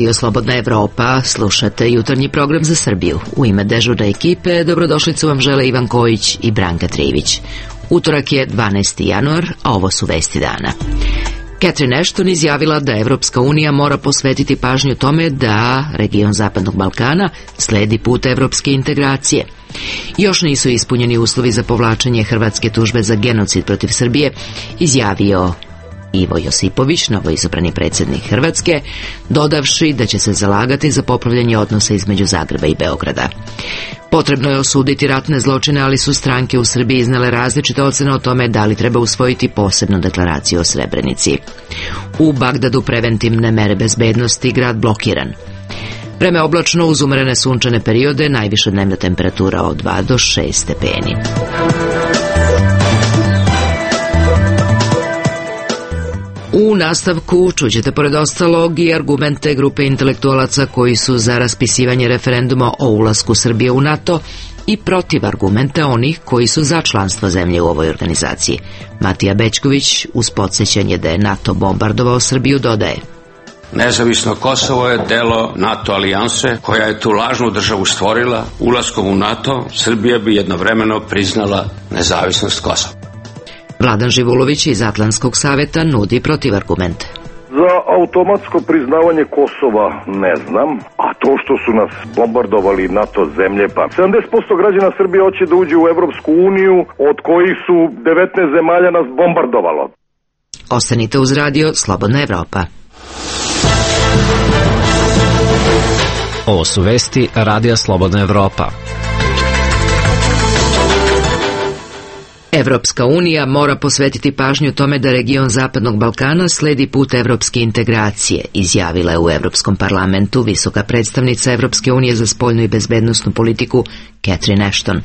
Radio Slobodna Evropa, slušate jutarnji program za Srbiju. U ime dežurne ekipe dobrodošlicu vam žele Ivan Kojić i Branka Trivić. Utorak je 12. januar, a ovo su vesti dana. Catherine Ashton izjavila da Evropska unija mora posvetiti pažnju tome da region Zapadnog Balkana sledi put evropske integracije. Još nisu ispunjeni uslovi za povlačenje hrvatske tužbe za genocid protiv Srbije, izjavio Ivo Josipović, novoizabrani predsjednik Hrvatske, dodavši da će se zalagati za popravljanje odnosa između Zagreba i Beograda. Potrebno je osuditi ratne zločine, ali su stranke u Srbiji iznale različite ocene o tome da li treba usvojiti posebnu deklaraciju o Srebrenici. U Bagdadu preventivne mere bezbednosti, grad blokiran. Vreme oblačno uz umerene sunčane periode, najviša dnevna temperatura od 2 do 6 stepeni. U nastavku čućete pored ostalog i argumente grupe intelektualaca koji su za raspisivanje referenduma o ulasku Srbije u NATO i protiv argumente onih koji su za članstvo zemlje u ovoj organizaciji. Matija Bećković uz podsjećanje da je NATO bombardovao Srbiju dodaje: Nezavisno Kosovo je delo NATO alijanse koja je tu lažnu državu stvorila. Ulaskom u NATO Srbija bi jednovremeno priznala nezavisnost Kosova. Vladan Živulović iz Atlantskog saveta nudi protivargumente. Za automatsko priznavanje Kosova ne znam, a to što su nas bombardovali NATO zemlje, pa 70% građana Srbije hoće da uđe u Evropsku uniju, od kojih su 19 zemalja nas bombardovalo. Ostanite uz radio Slobodna Evropa. Ovo su vesti Radija Slobodna Evropa. Evropska unija mora posvetiti pažnju tome da region Zapadnog Balkana sledi put evropske integracije, izjavila je u Evropskom parlamentu visoka predstavnica Evropske unije za spoljnu i bezbednosnu politiku Catherine Ashton.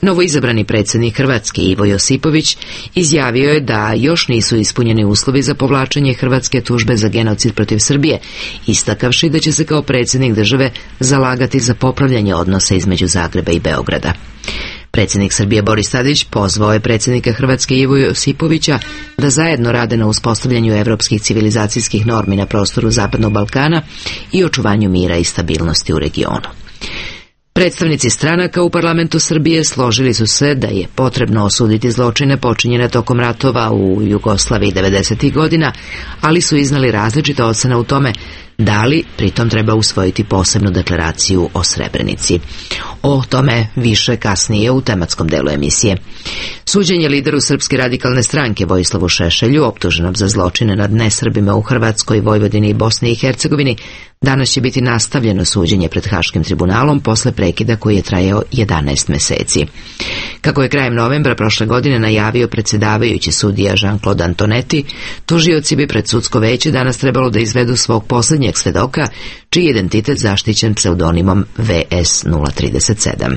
Novoizabrani predsjednik Hrvatske Ivo Josipović izjavio je da još nisu ispunjeni uslovi za povlačenje hrvatske tužbe za genocid protiv Srbije, istakavši da će se kao predsjednik države zalagati za popravljanje odnosa između Zagreba i Beograda. Predsjednik Srbije Boris Tadić pozvao je predsjednika Hrvatske Ivo Josipovića da zajedno rade na uspostavljanju evropskih civilizacijskih normi na prostoru Zapadnog Balkana i očuvanju mira i stabilnosti u regionu. Predstavnici stranaka u parlamentu Srbije složili su se da je potrebno osuditi zločine počinjene tokom ratova u Jugoslaviji 90. godina, ali su iznali različite ocene u tome da li pritom treba usvojiti posebnu deklaraciju o Srebrenici. O tome više kasnije u tematskom delu emisije. Suđenje lideru Srpske radikalne stranke Vojislavu Šešelju, optuženom za zločine nad nesrbima u Hrvatskoj, Vojvodini i Bosni i Hercegovini, danas će biti nastavljeno suđenje pred Haškim tribunalom posle prekida koji je trajao 11 meseci. Kako je krajem novembra prošle godine najavio predsjedavajući sudija Jean-Claude Antonetti, tužioci bi pred sudsko veće danas trebalo da izvedu svog posljednjeg svedoka, čiji je identitet zaštićen pseudonimom VS037.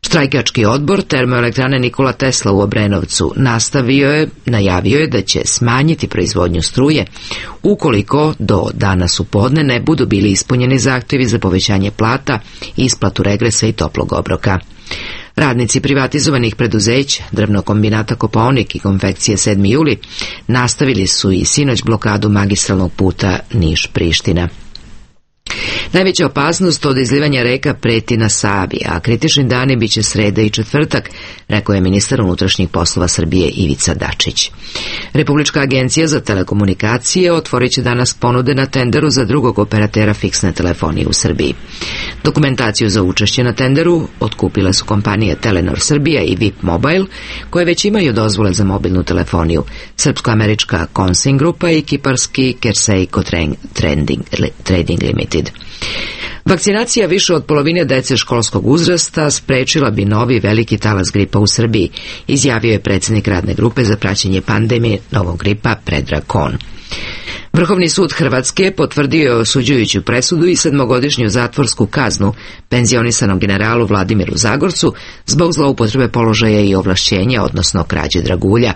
Štrajkački odbor termoelektrane Nikola Tesla u Obrenovcu najavio je da će smanjiti proizvodnju struje ukoliko do danas u podne ne budu bili ispunjeni zahtjevi za povećanje plata, isplatu regresa i toplog obroka. Radnici privatizovanih preduzeća, drvnog kombinata Kopaonik i konfekcije 7. juli nastavili su i sinoć blokadu magistralnog puta Niš-Priština. Najveća opasnost od izlivanja reka preti na Savi, a kritični dani biće sreda i četvrtak, rekao je ministar unutrašnjih poslova Srbije Ivica Dačić. Republička agencija za telekomunikacije otvorit će danas ponude na tenderu za drugog operatera fiksne telefonije u Srbiji. Dokumentaciju za učešće na tenderu otkupile su kompanije Telenor Srbija i VIP Mobile, koje već imaju dozvole za mobilnu telefoniju, srpsko-američka Consing grupa i kiparski Kerseyco Trading Limited. Vakcinacija više od polovine dece školskog uzrasta sprečila bi novi veliki talas gripa u Srbiji, izjavio je predsjednik radne grupe za praćenje pandemije novog gripa Predrag Kon. Vrhovni sud Hrvatske potvrdio je osuđujuću presudu i 7-godišnju zatvorsku kaznu penzionisanom generalu Vladimiru Zagorcu zbog zloupotrebe položaja i ovlašćenja, odnosno krađe dragulja.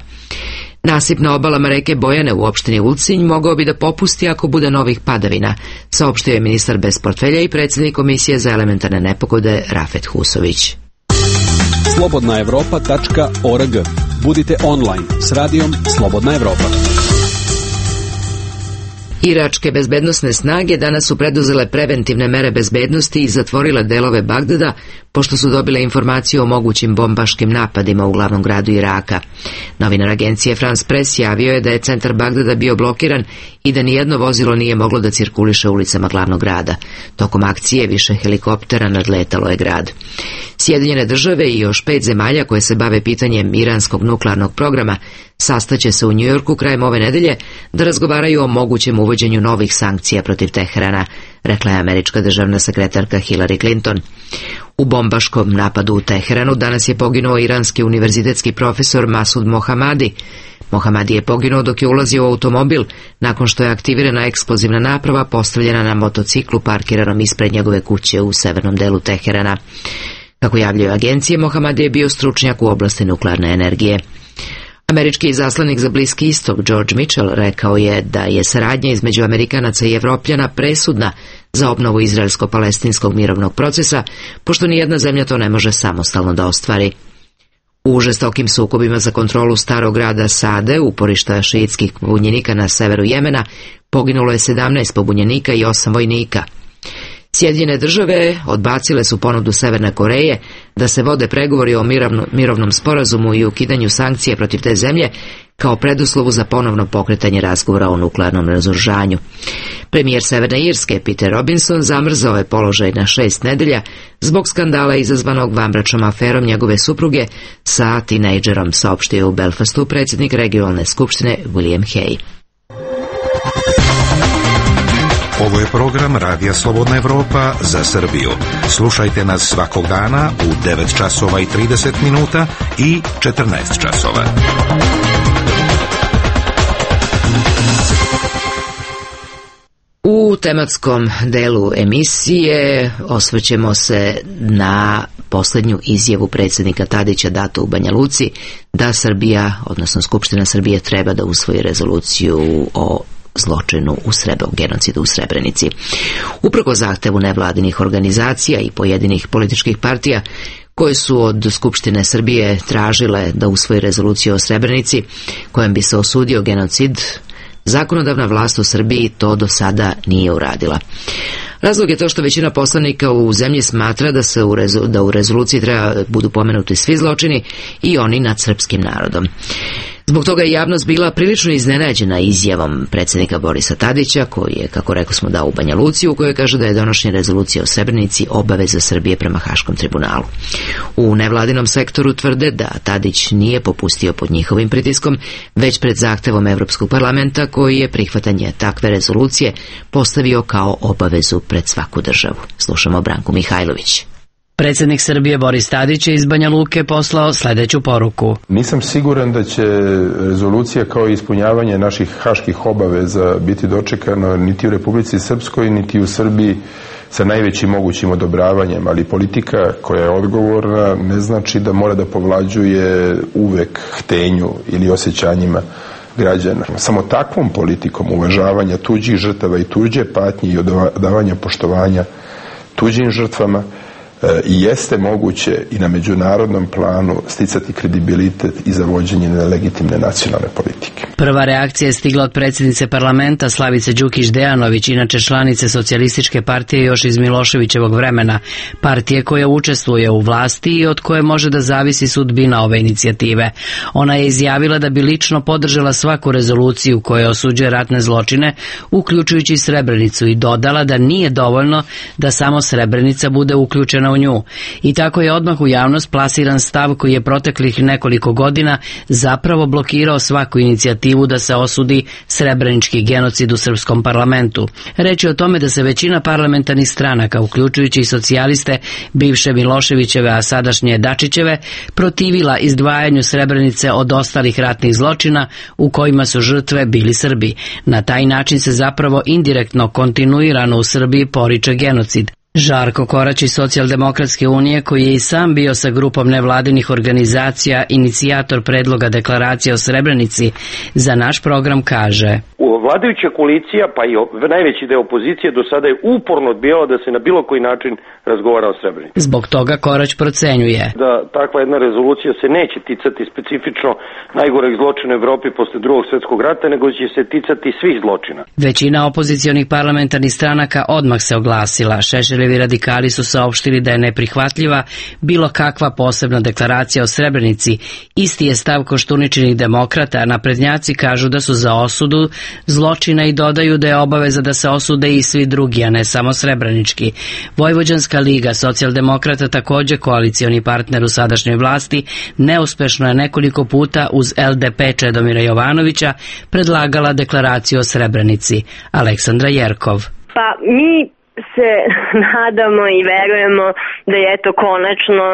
Nasip na obalama reke Bojane u opštini Ulcinj mogao bi da popusti ako bude novih padavina, saopštio je ministar bez portfelja i predsjednik Komisije za elementarne nepogode Rafet Husović. slobodnaevropa.org. Budite online s radijom Slobodna Evropa. Iračke bezbednosne snage danas su preduzele preventivne mere bezbednosti i zatvorile delove Bagdada, pošto su dobile informaciju o mogućim bombaškim napadima u glavnom gradu Iraka. Novinar agencije France Press javio je da je centar Bagdada bio blokiran i da nijedno vozilo nije moglo da cirkuliše ulicama glavnog grada. Tokom akcije više helikoptera nadletalo je grad. Sjedinjene države i još 5 zemalja koje se bave pitanjem iranskog nuklearnog programa sastaće se u Njujorku krajem ove nedelje da razgovaraju o mogućem uvođenju novih sankcija protiv Teherana, rekla je američka državna sekretarka Hillary Clinton. U bombaškom napadu u Teheranu danas je poginuo iranski univerzitetski profesor Masud Mohammadi. Mohammadi je poginuo dok je ulazio u automobil nakon što je aktivirana eksplozivna naprava postavljena na motociklu parkiranom ispred njegove kuće u severnom delu Teherana. Kako javljaju agencije, Mohammadi je bio stručnjak u oblasti nuklearne energije. Američki izaslanik za Bliski istok George Mitchell rekao je da je saradnja između Amerikanaca i Evropljana presudna za obnovu izraelsko-palestinskog mirovnog procesa, pošto nijedna zemlja to ne može samostalno da ostvari. U žestokim sukobima za kontrolu starog grada Sade, uporišta šiitskih pobunjenika na severu Jemena, poginulo je 17 pobunjenika i 8 vojnika. Sjedinjene države odbacile su ponudu Severne Koreje da se vode pregovori o mirovnom sporazumu i ukidanju sankcija protiv te zemlje kao preduslovu za ponovno pokretanje razgovora o nuklearnom razoružanju. Premijer Severne Irske Peter Robinson zamrzao je položaj na 6 nedelja zbog skandala izazvanog vanbračnom aferom njegove supruge sa tinejdžerom, saopštio u Belfastu predsjednik regionalne skupštine William Hay. Ovo je program Radija Slobodna Evropa za Srbiju. Slušajte nas svakog dana u 9 časova i 30 minuta i 14 časova. U tematskom delu emisije osvrćemo se na posljednju izjavu predsjednika Tadića datu u Banja Luci da Srbija, odnosno Skupština Srbije, treba da usvoji rezoluciju o zločinu o genocidu u Srebrenici. Uprkos zahtevu nevladinih organizacija i pojedinih političkih partija koje su od Skupštine Srbije tražile da usvoji rezoluciju o Srebrenici kojom bi se osudio genocid, zakonodavna vlast u Srbiji to do sada nije uradila. Razlog je to što većina poslanika u zemlji smatra da u rezoluciji treba budu pomenuti svi zločini i oni nad srpskim narodom. Zbog toga je javnost bila prilično iznenađena izjavom predsjednika Borisa Tadića, koji je, kako rekao smo, dao u Banja Luci, u kojoj kaže da je donošenje rezolucije o Srebrenici obaveza Srbije prema Haškom tribunalu. U nevladinom sektoru tvrde da Tadić nije popustio pod njihovim pritiskom, već pred zahtevom Evropskog parlamenta, koji je prihvatanje takve rezolucije postavio kao obavezu pred svaku državu. Slušamo Branku Mihajlović. Predsjednik Srbije Boris Tadić je iz Banja Luke poslao sljedeću poruku. Nisam siguran da će rezolucija kao ispunjavanje naših haških obaveza biti dočekano niti u Republici Srpskoj, niti u Srbiji sa najvećim mogućim odobravanjem, ali politika koja je odgovorna ne znači da mora da povlađuje uvek htenju ili osjećanjima građana. Samo takvom politikom uvažavanja tuđih žrtava i tuđe patnje i odavanja poštovanja tuđim žrtvama i jeste moguće i na međunarodnom planu sticati kredibilitet i za vođenje nelegitimne nacionalne politike. Prva reakcija je stigla od predsjednice parlamenta Slavice Đukić Dejanović, inače članice Socijalističke partije još iz Miloševićevog vremena, partije koja učestvuje u vlasti i od koje može da zavisi sudbina ove inicijative. Ona je izjavila da bi lično podržala svaku rezoluciju koja osuđuje ratne zločine, uključujući Srebrenicu, i dodala da nije dovoljno da samo Srebrenica bude uključena u nju. I tako je odmah u javnost plasiran stav koji je proteklih nekoliko godina zapravo blokirao svaku inicijativu da se osudi srebrenički genocid u srpskom parlamentu. Reč je o tome da se većina parlamentarnih stranaka, uključujući i socijaliste bivše Miloševićeve, a sadašnje Dačićeve, protivila izdvajanju Srebrenice od ostalih ratnih zločina u kojima su žrtve bili Srbi. Na taj način se zapravo indirektno kontinuirano u Srbiji poriče genocid. Žarko Korać iz Socijaldemokratske unije, koji je i sam bio sa grupom nevladinih organizacija inicijator predloga deklaracije o Srebrenici, za naš program kaže: Vladajuća koalicija, pa i najveći deo opozicije do sada je uporno odbijala da se na bilo koji način razgovara o Srebrenici. Zbog toga Korać procenjuje da takva jedna rezolucija se neće ticati specifično najgoreg zločina u Evropi posle Drugog svjetskog rata, nego će se ticati svih zločina. Većina opozicionih parlamentarnih stranaka odmah se oglasila. Šešeljevi radikali su saopštili da je neprihvatljiva bilo kakva posebna deklaracija o Srebrenici. Isti je stav Koštuničinih demokrata, a naprednjaci kažu da su za osudu zločina i dodaju da je obaveza da se osude i svi drugi, a ne samo srebrenički. Vojvođanska liga socijaldemokrata, također koalicioni partner u sadašnjoj vlasti, neuspešno je nekoliko puta uz LDP Čedomira Jovanovića predlagala deklaraciju o Srebrenici. Aleksandra Jerkov. Pa mi se nadamo i verujemo da je eto konačno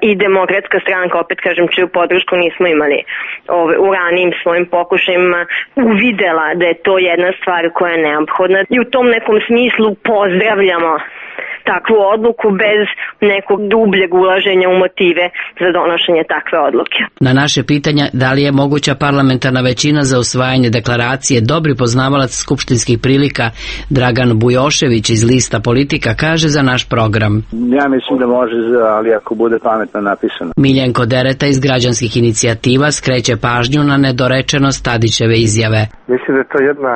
i Demokratska stranka, opet kažem, čiju podršku nismo imali u ranijim svojim pokušajima, uvidela da je to jedna stvar koja je neophodna i u tom nekom smislu pozdravljamo takvu odluku bez nekog dubljeg ulaženja u motive za donošenje takve odluke. Na naše pitanja da li je moguća parlamentarna većina za usvajanje deklaracije, dobri poznavalac skupštinskih prilika Dragan Bujošević iz Lista Politika kaže za naš program: Ja mislim da može, ali ako bude pametno napisano. Miljenko Dereta iz Građanskih inicijativa skreće pažnju na nedorečenost Tadićeve izjave. Mislim da je to jedna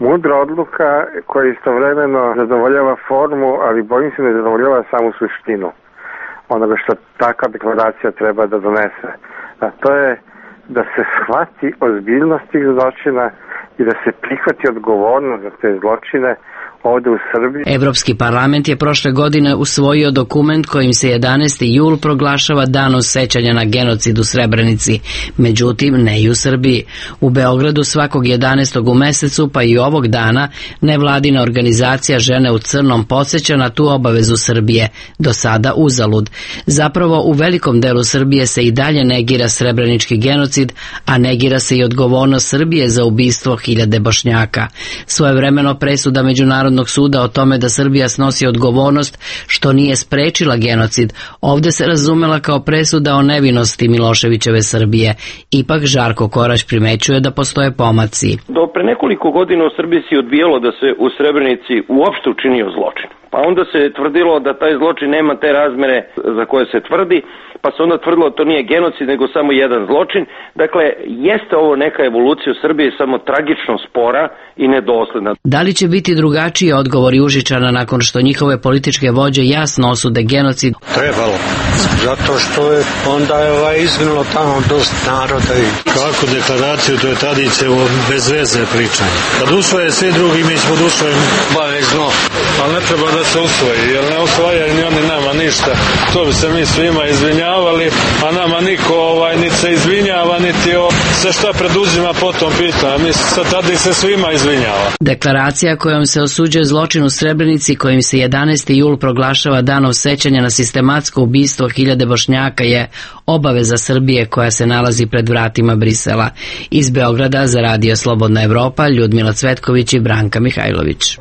mudra odluka koja istovremeno zadovoljava formu, ali bojim se ne zadovoljava samu suštinu onoga što takva deklaracija treba da donese. A to je da se shvati ozbiljnost tih zločina i da se prihvati odgovornost za te zločine ovdje u Srbiji. Evropski parlament je prošle godine usvojio dokument kojim se 11. jul proglašava danom sećanja na genocid u Srebrenici, međutim ne i u Srbiji. U Beogradu svakog 11. u mesecu, pa i ovog dana, nevladina organizacija Žene u crnom podsjeća na tu obavezu Srbije, do sada uzalud. Zapravo u velikom delu Srbije se i dalje negira srebrenički genocid, a negira se i odgovornost Srbije za ubistvo hiljade Bošnjaka. Svojevremeno presuda Međunarodnog suda o tome da Srbija snosi odgovornost što nije sprečila genocid, ovdje se razumela kao presuda o nevinosti Miloševićeve Srbije. Ipak Žarko Korać primećuje da postoje pomaci. Do pre nekoliko godina u Srbiji se odbijalo da se u Srebrenici uopšte učinio zločin. Pa onda se tvrdilo da taj zločin nema te razmere za koje se tvrdi, pa se onda tvrdilo da to nije genocid nego samo jedan zločin. Dakle, jeste ovo neka evolucija u Srbiji, samo tragično spora i nedosledna. Da li će biti drugačiji odgovori Užičana nakon što njihove političke vođe jasno osude genocid? Trebalo, zato što je onda izginulo tamo dosta naroda. Kako deklaraciju, to je tradicija bez veze pričanje. Kad usvoje svi drugi, mi ćemo da usvojimo bavezno. Ali ne treba da se usvoji, jer ne usvajaju ni oni nama ništa. To bi se mi svima izvinjavali, a nama niko niti se izvinjava, niti sve šta preduzima potom pita. Mi sad tada se svima izvinjava. Deklaracija kojom se osuđuje zločin u Srebrenici, kojim se 11. jul proglašava danom sećanja na sistematsko ubistvo hiljade Bošnjaka, je obaveza Srbije koja se nalazi pred vratima Brisela. Iz Beograda za Radio Slobodna Evropa, Ljudmila Cvetković i Branka Mihajlović.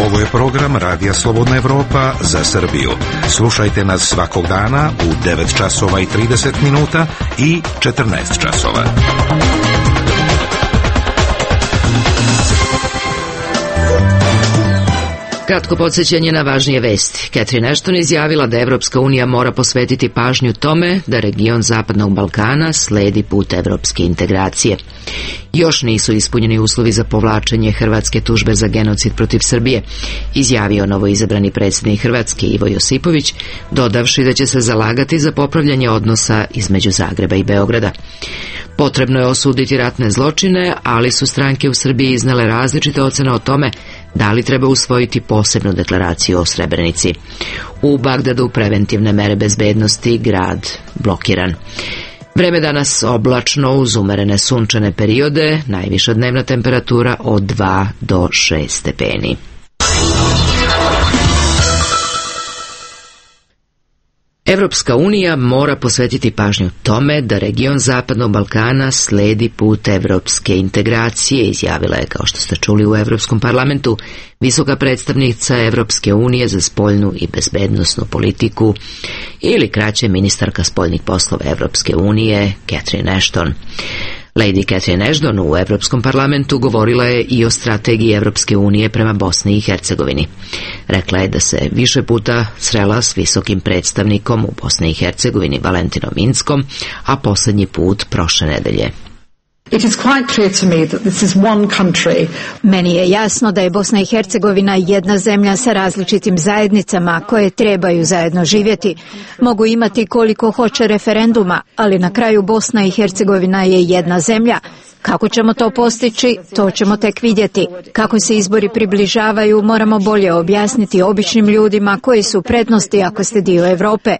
Ovo je program Radija Slobodna Evropa za Srbiju. Slušajte nas svakog dana u 9 časova i 30 minuta i 14 časova. Kratko podsjećanje na važnije vesti. Catherine Ashton izjavila da Evropska unija mora posvetiti pažnju tome da region Zapadnog Balkana sledi put evropske integracije. Još nisu ispunjeni uslovi za povlačenje hrvatske tužbe za genocid protiv Srbije, izjavio novoizabrani predsjednik Hrvatske Ivo Josipović, dodavši da će se zalagati za popravljanje odnosa između Zagreba i Beograda. Potrebno je osuditi ratne zločine, ali su stranke u Srbiji iznele različite ocene o tome da li treba usvojiti posebnu deklaraciju o Srebrenici. U Bagdadu preventivne mere bezbednosti, grad blokiran. Vreme danas oblačno uz umerene sunčane periode, najviša dnevna temperatura od 2 do 6 stepeni. Evropska unija mora posvetiti pažnju tome da region Zapadnog Balkana sledi put evropske integracije, izjavila je, kao što ste čuli u Evropskom parlamentu, visoka predstavnica Evropske unije za spoljnu i bezbednosnu politiku, ili kraće ministarka spoljnih poslova Evropske unije, Catherine Ashton. Lady Catherine Ashton u Evropskom parlamentu govorila je i o strategiji Evropske unije prema Bosni i Hercegovini. Rekla je da se više puta srela s visokim predstavnikom u Bosni i Hercegovini Valentinom Inckom, a posljednji put prošle nedelje. It is quite clear to me that this is one country. Meni je jasno da je Bosna i Hercegovina jedna zemlja sa različitim zajednicama koje trebaju zajedno živjeti. Mogu imati koliko hoće referenduma, ali na kraju Bosna i Hercegovina je jedna zemlja. Kako ćemo to postići, to ćemo tek vidjeti. Kako se izbori približavaju, moramo bolje objasniti običnim ljudima koji su prednosti ako ste dio Europe.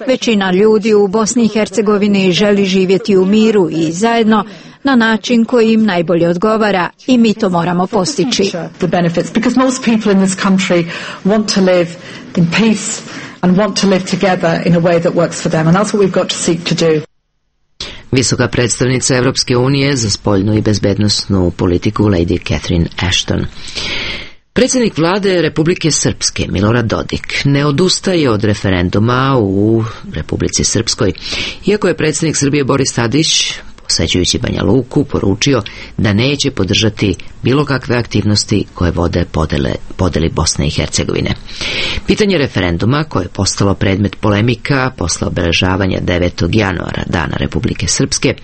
Većina ljudi u Bosni i Hercegovini želi živjeti u miru i zajedno na način koji im najbolje odgovara i mi to moramo postići. Because most people in this country want to live in peace and want to live together in a way that works for them, and that's what we've got to seek to do. Visoka predstavnica Evropske unije za spoljnu i bezbednosnu politiku Lady Catherine Ashton. Predsjednik vlade Republike Srpske Milorad Dodik ne odustaje od referenduma u Republici Srpskoj, iako je predsjednik Srbije Boris Tadić, posećujući Banja Luku, poručio da neće podržati bilo kakve aktivnosti koje vode podeli Bosne i Hercegovine. Pitanje referenduma, koje je postalo predmet polemika posle obeležavanja 9. januara, Dana Republike Srpske,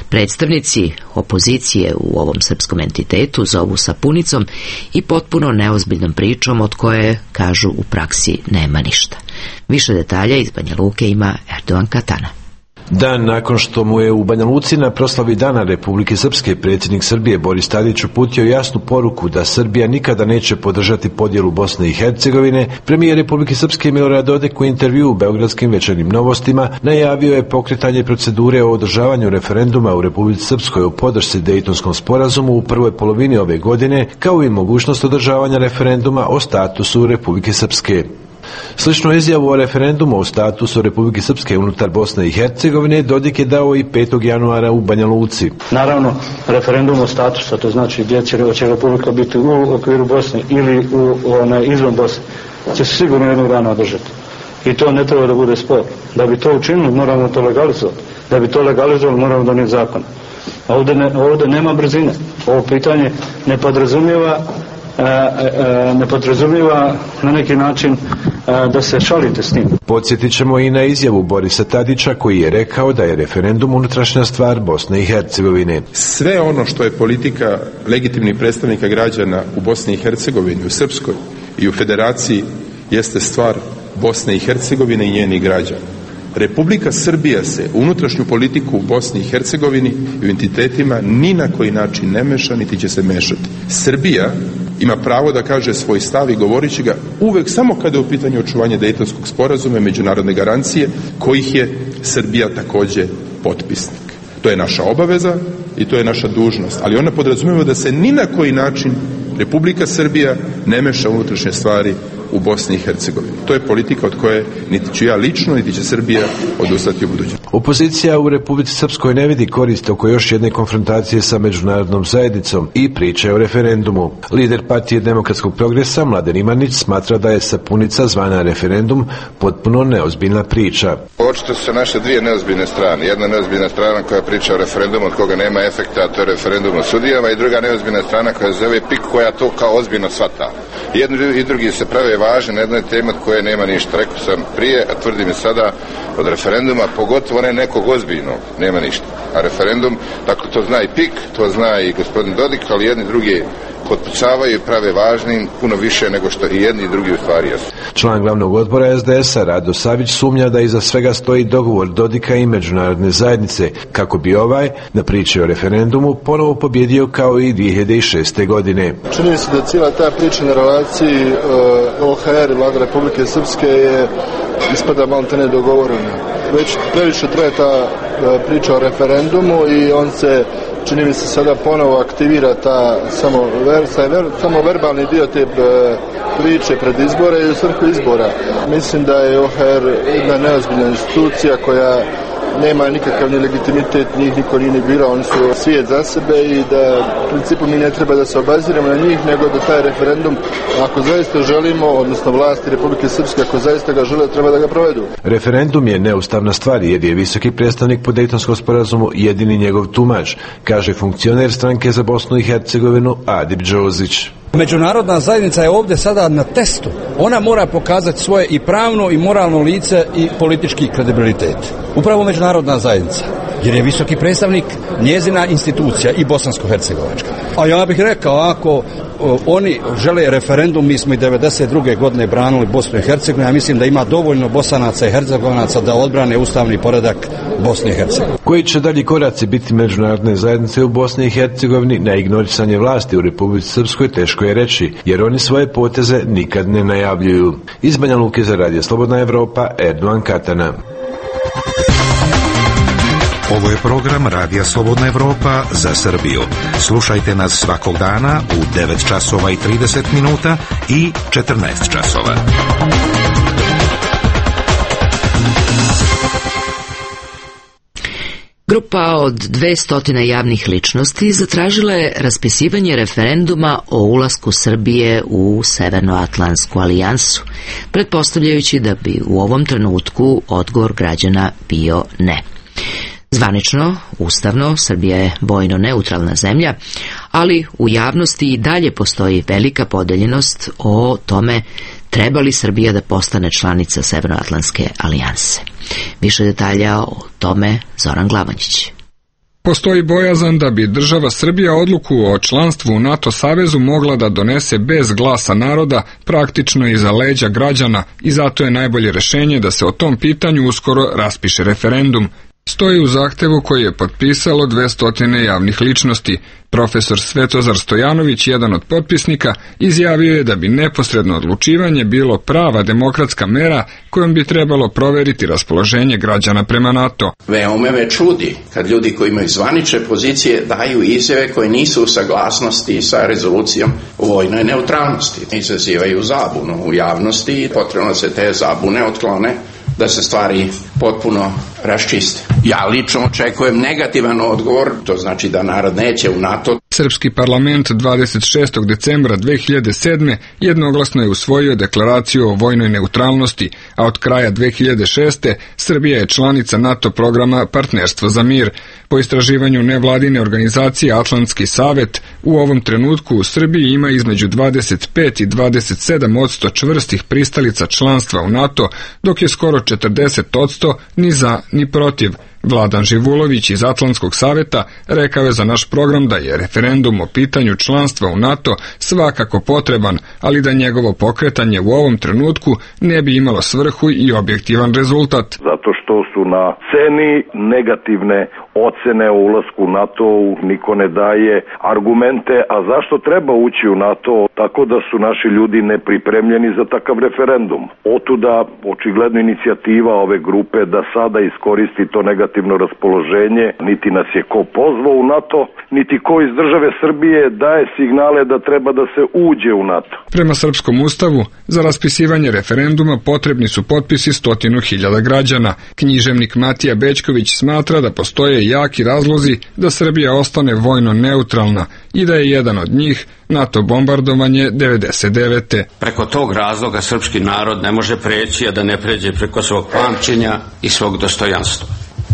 predstavnici opozicije u ovom srpskom entitetu zovu sapunicom i potpuno neozbiljnom pričom od koje, kažu, u praksi nema ništa. Više detalja iz Banja Luke ima Erdogan Katana. Dan nakon što mu je u Banja Luci na proslavi Dana Republike Srpske predsjednik Srbije Boris Tadić uputio jasnu poruku da Srbija nikada neće podržati podjelu Bosne i Hercegovine, premijer Republike Srpske Milorad Dodik u intervjuu u Beogradskim večernjim novostima najavio je pokretanje procedure o održavanju referenduma u Republici Srpskoj o podršci Dejtonskom sporazumu u prvoj polovini ove godine, kao i mogućnost održavanja referenduma o statusu Republike Srpske. Sličnu izjavu o referendumu o statusu Republike Srpske unutar Bosne i Hercegovine Dodik je dao i 5. januara u Banja Luci. Naravno, referendum o statusu, to znači gdje će Republika biti u okviru Bosne ili izvan Bosne, će se sigurno jednog dana održati. I to ne treba da bude spor. Da bi to učinili, moramo to legalizovati. Da bi to legalizovali, moramo donijeti zakon. Ovdje nema brzine. Ovo pitanje ne podrazumijeva na neki način da se šalite s tim. Podsjetit ćemo i na izjavu Borisa Tadića koji je rekao da je referendum unutrašnja stvar Bosne i Hercegovine. Sve ono što je politika legitimnih predstavnika građana u Bosni i Hercegovini, u Srpskoj i u Federaciji jeste stvar Bosne i Hercegovine i njenih građana. Republika Srbija se u unutrašnju politiku u Bosni i Hercegovini i u entitetima ni na koji način ne meša, niti će se mešati. Srbija ima pravo da kaže svoj stav i govorit će ga uvek samo kada je u pitanju očuvanje Dejtonskog sporazuma i međunarodne garancije kojih je Srbija takođe potpisnik. To je naša obaveza i to je naša dužnost, ali ona podrazumijeva da se ni na koji način Republika Srbija ne meša u unutrašnje stvari u Bosni i Hercegovini. To je politika od koje niti ću ja lično, niti će Srbija odustati u budućnosti. Opozicija u Republici Srpskoj ne vidi korist oko još jedne konfrontacije sa međunarodnom zajednicom i priče o referendumu. Lider Partije demokratskog progresa Mladen Imanić smatra da je sapunica zvana referendum potpuno neozbiljna priča. Očito su naše dvije neozbiljne strane. Jedna neozbiljna strana koja priča o referendumu od koga nema efekta, a to je referendum o sudijama, i druga neozbiljna strana koja zove PIK, koja to kao ozbiljno shvata. Jedni i drugi se prave važni na jednoj temi od koje nema ništa. Rekao sam prije, a tvrdim i sada, od referenduma, pogotovo ne nekog ozbiljnog, nema ništa. A referendum, tako to zna i PIK, to zna i gospodin Dodik, ali jedni drugi potpucavaju i prave važnim puno više nego što i jedni i drugi u stvari jesu. Član glavnog odbora SDS-a Rado Savić sumnja da iza svega stoji dogovor Dodika i međunarodne zajednice, kako bi ovaj, na priči o referendumu, ponovo pobjedio kao i 2006. godine. Čini se da cijela ta priča na relaciji OHR i Vlada Republike Srpske je ispada malo te nedogovorena. Već previše traje ta priča o referendumu i on se čini mi se sada ponovo aktivira ta samo verbalni dio te priče pred izbore i u svrhu izbora. Mislim da je OHR jedna neozbiljna institucija koja nema nikakav ni legitimitet, njih niko nije ni birao, oni su svijet za sebe i da u principu mi ne treba da se obaziramo na njih, nego da taj referendum, ako zaista želimo, odnosno vlasti Republike Srpske, ako zaista ga žele, treba da ga provedu. Referendum je neustavna stvar jer je visoki predstavnik po Dejtonskom sporazumu jedini njegov tumač, kaže funkcioner stranke za Bosnu i Hercegovinu Adip Đozić. Međunarodna zajednica je ovdje sada na testu. Ona mora pokazati svoje i pravno i moralno lice i politički kredibilitet. Upravo međunarodna zajednica. Jer je visoki predstavnik njezina institucija i bosansko-hercegovačka. A ja bih rekao, ako oni žele referendum, mi smo i 92. godine branili Bosnu i Hercegovinu, ja mislim da ima dovoljno Bosanaca i Hercegovaca da odbrane ustavni poredak Bosne i Hercegovine. Koji će dalji koraci biti međunarodne zajednice u Bosni i Hercegovini na ignorisanje vlasti u Republici Srpskoj teško je reći, jer oni svoje poteze nikad ne najavljuju. Iz Banja Luke za Radio Slobodna Evropa, Erdogan Katana. Ovo je program Radija Slobodna Evropa za Srbiju. Slušajte nas svakog dana u 9 časova i 30 minuta i 14 časova. Grupa od 200 javnih ličnosti zatražila je raspisivanje referenduma o ulasku Srbije u Severnoatlantsku alijansu, pretpostavljajući da bi u ovom trenutku odgovor građana bio ne. Zvanično, ustavno, Srbija je vojno neutralna zemlja, ali u javnosti i dalje postoji velika podeljenost o tome treba li Srbija da postane članica Severnoatlantske alijanse. Više detalja o tome Zoran Glavančić. Postoji bojazan da bi država Srbija odluku o članstvu u NATO savezu mogla da donese bez glasa naroda, praktično iza leđa građana, i zato je najbolje rešenje da se o tom pitanju uskoro raspiše referendum. Stoji u zahtevu koji je potpisalo 200 javnih ličnosti. Profesor Svetozar Stojanović, jedan od potpisnika, izjavio je da bi neposredno odlučivanje bilo prava demokratska mera kojom bi trebalo proveriti raspoloženje građana prema NATO. Veoma me čudi kad ljudi koji imaju zvanične pozicije daju izjave koje nisu u saglasnosti sa rezolucijom o vojnoj neutralnosti. Izazivaju zabunu u javnosti i potrebno se te zabune otklone, da se stvari potpuno raščiste. Ja lično očekujem negativan odgovor, to znači da narod neće u NATO. Srpski parlament 26. decembra 2007. jednoglasno je usvojio deklaraciju o vojnoj neutralnosti, a od kraja 2006. Srbija je članica NATO programa Partnerstvo za mir. Po istraživanju nevladine organizacije Atlantski savet, u ovom trenutku u Srbiji ima između 25 i 27% čvrstih pristalica članstva u NATO, dok je skoro 40% ni za ni protiv. Vladan Živulović iz Atlantskog saveta rekao je za naš program da je referendum o pitanju članstva u NATO svakako potreban, ali da njegovo pokretanje u ovom trenutku ne bi imalo svrhu i objektivan rezultat. Zato što su na sceni negativne ocene o ulasku u NATO, niko ne daje argumente, a zašto treba ući u NATO, tako da su naši ljudi nepripremljeni za takav referendum. Otuda očigledno inicijativa ove grupe da sada iskoristi to negativno raspoloženje, niti nas je ko pozvao u NATO, niti ko iz države Srbije daje signale da treba da se uđe u NATO. Prema srpskom ustavu, za raspisivanje referenduma potrebni su potpisi 100.000 građana. Književnik Matija Bećković smatra da postoje jaki razlozi da Srbija ostane vojno neutralna i da je jedan od njih NATO bombardovanje 99. Preko tog razloga srpski narod ne može preći, a da ne pređe preko svog pamćenja i svog dostojanstva.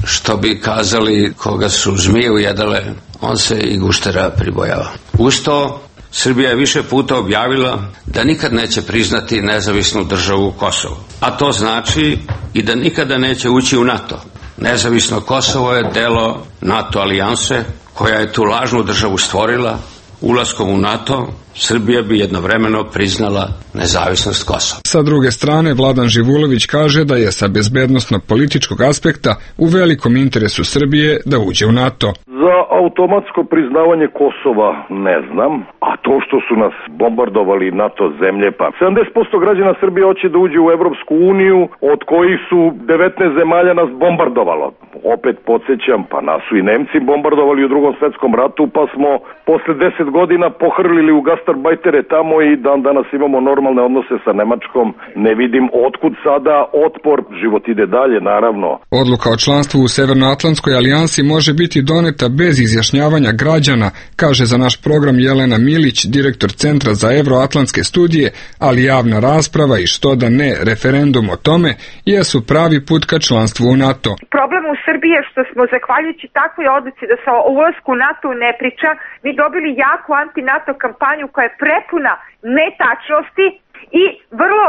Što bi kazali, koga su zmije ujedale, on se i guštera pribojava. Uz to, Srbija je više puta objavila da nikad neće priznati nezavisnu državu Kosovo. A to znači i da nikada neće ući u NATO. Nezavisno Kosovo je delo NATO alijanse koja je tu lažnu državu stvorila. Ulaskom u NATO, Srbija bi jednovremeno priznala nezavisnost Kosova. Sa druge strane, Vladan Živulović kaže da je sa bezbednosno-političkog aspekta u velikom interesu Srbije da uđe u NATO. Za automatsko priznavanje Kosova ne znam, a to što su nas bombardovali NATO zemlje, pa 70% građana Srbije hoće da uđe u Evropsku uniju, od kojih su 19 zemalja nas bombardovalo. Opet podsjećam, pa nas su i Nemci bombardovali u Drugom svetskom ratu, pa smo posle 10 godina pohrlili u gastarbajtere tamo i dan danas imamo normalne odnose sa Nemačkom. Ne vidim otkud sada otpor, život ide dalje, naravno. Odluka o članstvu u Severnoatlantskoj alijansi može biti doneta bez izjašnjavanja građana, kaže za naš program Jelena Milić, direktor Centra za evroatlantske studije, ali javna rasprava i što da ne referendum o tome jesu pravi put ka članstvu u NATO. Problem u Srbiji je što smo zahvaljujući takvoj odluci da se o ulasku u NATO ne priča, mi dobili jaku anti-NATO kampanju koja je prepuna netačnosti i vrlo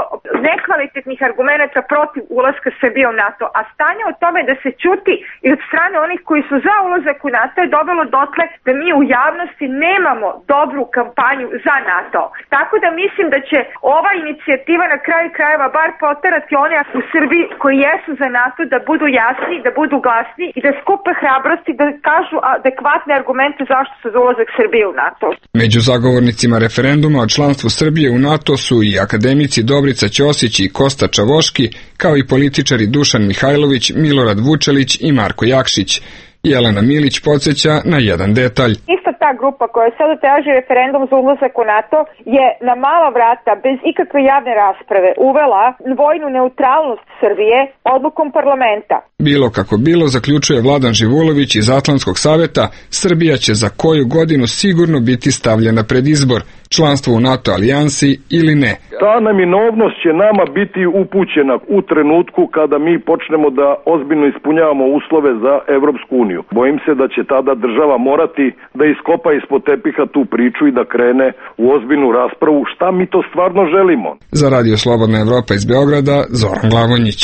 nekvalitetnih argumenata protiv ulaska Srbije u NATO, a stanje o tome da se ćuti i od strane onih koji su za ulazak u NATO je dovelo dotle da mi u javnosti nemamo dobru kampanju za NATO. Tako da mislim da će ova inicijativa na kraju krajeva bar poterati one u Srbiji koji jesu za NATO da budu jasni, da budu glasni i da skupe hrabrosti da kažu adekvatne argumente zašto su za ulazak Srbije u NATO. Među zagovornicima referenduma o članstvu Srbije u NATO su i akademici Dobrica Ćosić i Kosta Čavoški, kao i političari Dušan Mihajlović, Milorad Vučelić i Marko Jakšić. Jelena Milić podsjeća na jedan detalj. Ista ta grupa koja sada traži referendum za ulazak u NATO je na mala vrata, bez ikakve javne rasprave, uvela vojnu neutralnost Srbije odlukom parlamenta. Bilo kako bilo, zaključuje Vladan Živulović iz Atlantskog saveta, Srbija će za koju godinu sigurno biti stavljena pred izbor, članstvo u NATO alijansi ili ne. Ta neminovnost će nama biti upućena u trenutku kada mi počnemo da ozbiljno ispunjavamo uslove za Evropsku uniju. Bojim se da će tada država morati da iskopa ispod tepiha tu priču i da krene u ozbiljnu raspravu šta mi to stvarno želimo. Za Radio Slobodna Evropa iz Beograda, Zoran Glavonjić.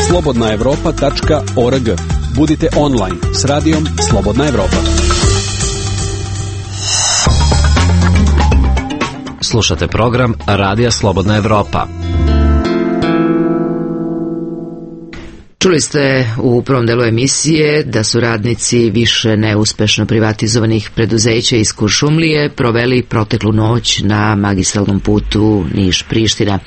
slobodnaevropa.org. Budite online s radijom Slobodna Evropa. Slušate program Radija Slobodna Evropa. Čuli ste u prvom delu emisije da su radnici više neuspešno privatizovanih preduzeća iz Kuršumlije proveli proteklu noć na magistralnom putu Niš-Priština,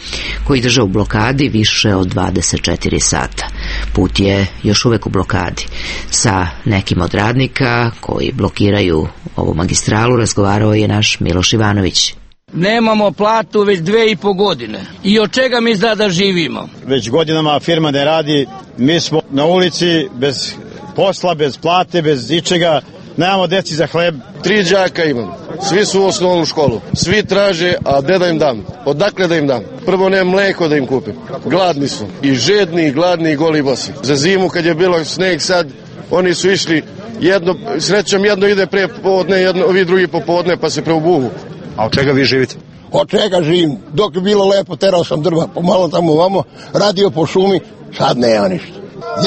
koji drže u blokadi više od 24 sata. Put je još uvek u blokadi. Sa nekim od radnika koji blokiraju ovu magistralu razgovarao je naš Miloš Ivanović. Nemamo platu već 2,5 godine. I od čega mi da živimo? Već godinama firma ne radi, mi smo na ulici bez posla, bez plate, bez ičega, nemamo deci za hleb. 3 đaka imam, svi su u osnovnu školu, svi traže, a gde da im dam? Odakle da im dam? Prvo nema mleko da im kupim, gladni su, i žedni, i gladni, i goli bosi. Za zimu kad je bilo sneg sad, oni su išli, srećom jedno ide pre popodne, ovi drugi popodne pa se preobuhu. A od čega vi živite? Od čega živim? Dok je bilo lepo, terao sam drva, pomalo tamo ovamo, radio po šumi, sad nema ništa.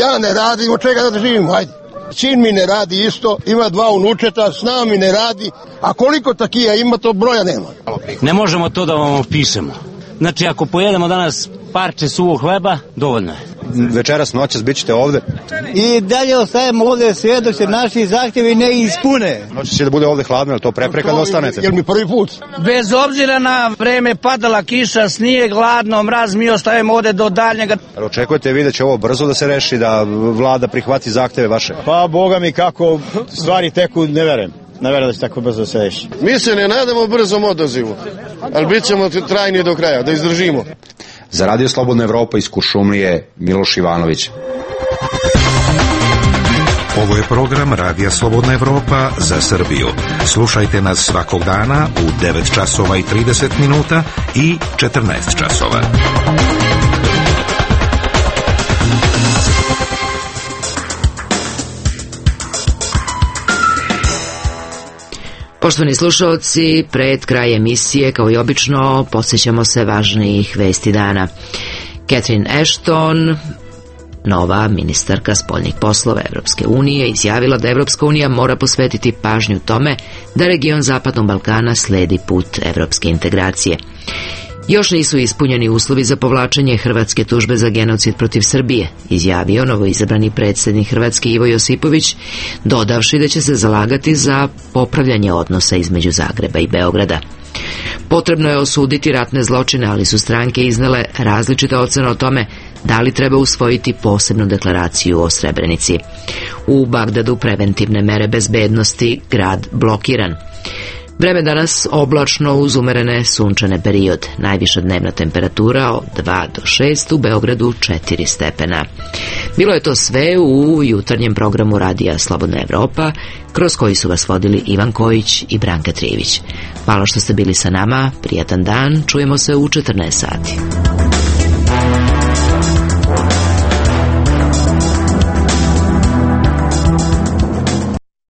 Ja ne radim, od čega da živim, hajde. Sin mi ne radi isto, ima 2 unučeta, s nama mi ne radi, a koliko takija ima, to broja nema. Ne možemo to da vam opišemo. Znači, ako pojedemo danas parče suvog hleba, dovoljno je. Večeras, noćas, bit ćete ovde? I dalje ostajemo ovde sve dok se naši zahtjevi ne ispune. Noćas će da bude ovde hladno, je to prepreka da ostanete? Jer mi prvi put. Bez obzira na vreme, padala kiša, snijeg, hladno, mraz, mi ostajemo ovde do daljnjega. Očekujete vi da će ovo brzo da se reši, da vlada prihvati zahteve vaše? Pa, boga mi, kako stvari teku, ne verujem. Ne verujem da će tako brzo se reši. Mi se ne nadamo brzom odazivu, ali bit ćemo trajni do kraja, da izdržimo. Za Radio Slobodna Evropa iz Kuršumlije, Miloš Ivanović. Ovo je program Radija Slobodna Evropa za Srbiju. Slušajte nas svakog dana u 9 časova i 30 minuta i 14 časova. Poštovani slušalci, pred kraj emisije, kao i obično, podsjećamo se važnijih vesti dana. Catherine Ashton, nova ministarka spoljnih poslova Evropske unije, izjavila da Evropska unija mora posvetiti pažnju tome da region Zapadnog Balkana sledi put evropske integracije. Još nisu ispunjeni uslovi za povlačenje hrvatske tužbe za genocid protiv Srbije, izjavio novoizabrani predsjednik Hrvatske Ivo Josipović, dodavši da će se zalagati za popravljanje odnosa između Zagreba i Beograda. Potrebno je osuditi ratne zločine, ali su stranke iznele različite ocene o tome da li treba usvojiti posebnu deklaraciju o Srebrenici. U Bagdadu preventivne mere bezbednosti, grad blokiran. Vreme danas oblačno uz umerene sunčane period. Najviša dnevna temperatura od 2 do 6, u Beogradu 4 stepena. Bilo je to sve u jutarnjem programu Radija Slobodna Evropa, kroz koji su vas vodili Ivan Kojić i Branka Trijević. Hvala što ste bili sa nama, prijatan dan, čujemo se u 14 sati.